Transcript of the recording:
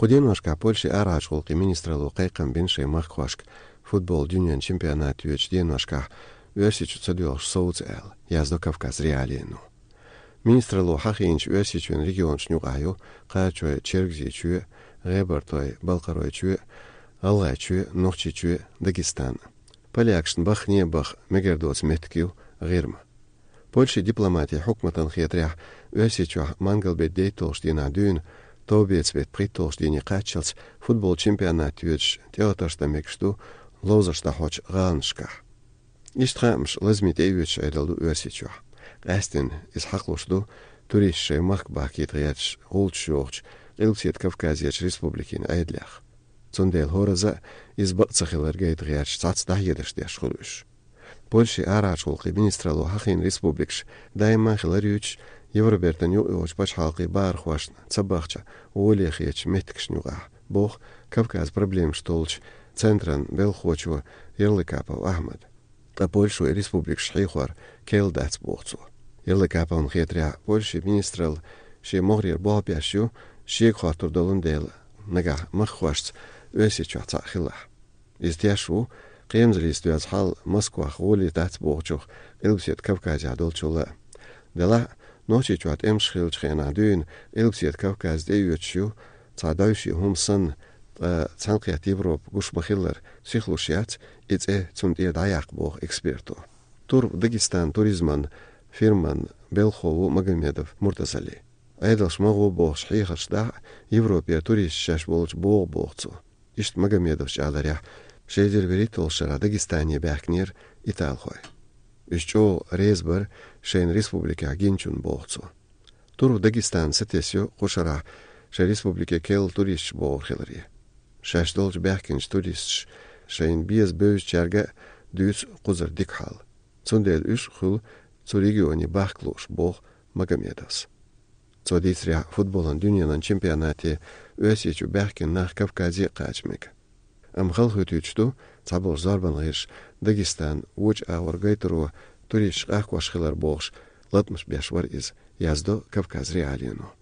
Qudenoshka Polsha arajqulqi ministralu qayqan binşey maqquashk futbol dünyan çempionatı üç denoshka Ösiç çadıyorş soğuz el yazdo Kavkaz realiyenu. Ministralu haqinç Ösiçün regionç nuqayu qaçoy Çergziçü Rebertoy Balqaroyçü Allayçü Noqçiçü Dagestan. Palyakşın baxniye bax megerdots metkiw girma. Polsha diplomatiya hukmatan xiyatrah Ösiçü mangalbet deytolşdina dün Tobetsbet pritolşdini qaçals futbol çempionatı üç teatrsta mekştu Lozarsta hoç ganşka. İştramş lazmit eyüç edaldu Ösiçü. Qastin is haqloşdu turistşey maqbaqit riyaç olçuğç Ilksiet Kavkaziyaç Respublikin aydlaq. Zondel horaza is baqtsaxilar gayt riyaç satsda yedişdiyaş xuluş. Polsha araçulqi ministralu haqin respublikş daima xilaryuç Yevrobertan yo'q baş halqi bar xoşna sabaqcha olexiyaç metkşnuqa. Boq Kavkaz problem stolch Centran Belxoçu Yerlikapov Ahmed. Ta Polsha Respublikş xixwar keldats boqsu. Yerlikapov xetra Polsha ministral şe mogrir boğapiaşu şe xaturdalın del naga maqwaşts Ösiçü taxila. İzdiyaşu qemzlistyaz hal Moskva xoli dats boqchuq Ilksiet Kavkazya dolçula. Dela Noçiçuat emşxilçxena dün Ilksiet Kavkazda üyüçü tsadayşi humsan Sanqiyat Evrop gushmaxillar sixlushiyat itse tsundiya dayaq boq ekspertu. Tur Dagestan turizman firman Belxovu Magomedov Murtazali. Aydalş mağu boq şiixaçda Evropa turist şaş bolç boq boqcu. İşt Magomedov şalarya şeydir verit olşara Dagestaniya baqnir italxoy. İşço rezbar şeyin respublika ginçun boqcu. Tur Dagestan sitesyo qoşara şey respublika kel turist boq xilari. Şaşdolç baqinç turist şeyin biz böz çarga düz quzur dikhal. Zondel üç xul zu regioni baqloş boq Magomedovs. Zodisria futbolun dünyanın çempionatı Ösiçü baqin nach Kavkazi qaçmek. Amxal hütüçtu sabol zarbanğış Dagestan uç ağır gayturu turist qaqwaşxilar boğş 65 var iz yazdo Kavkaz realiyenu.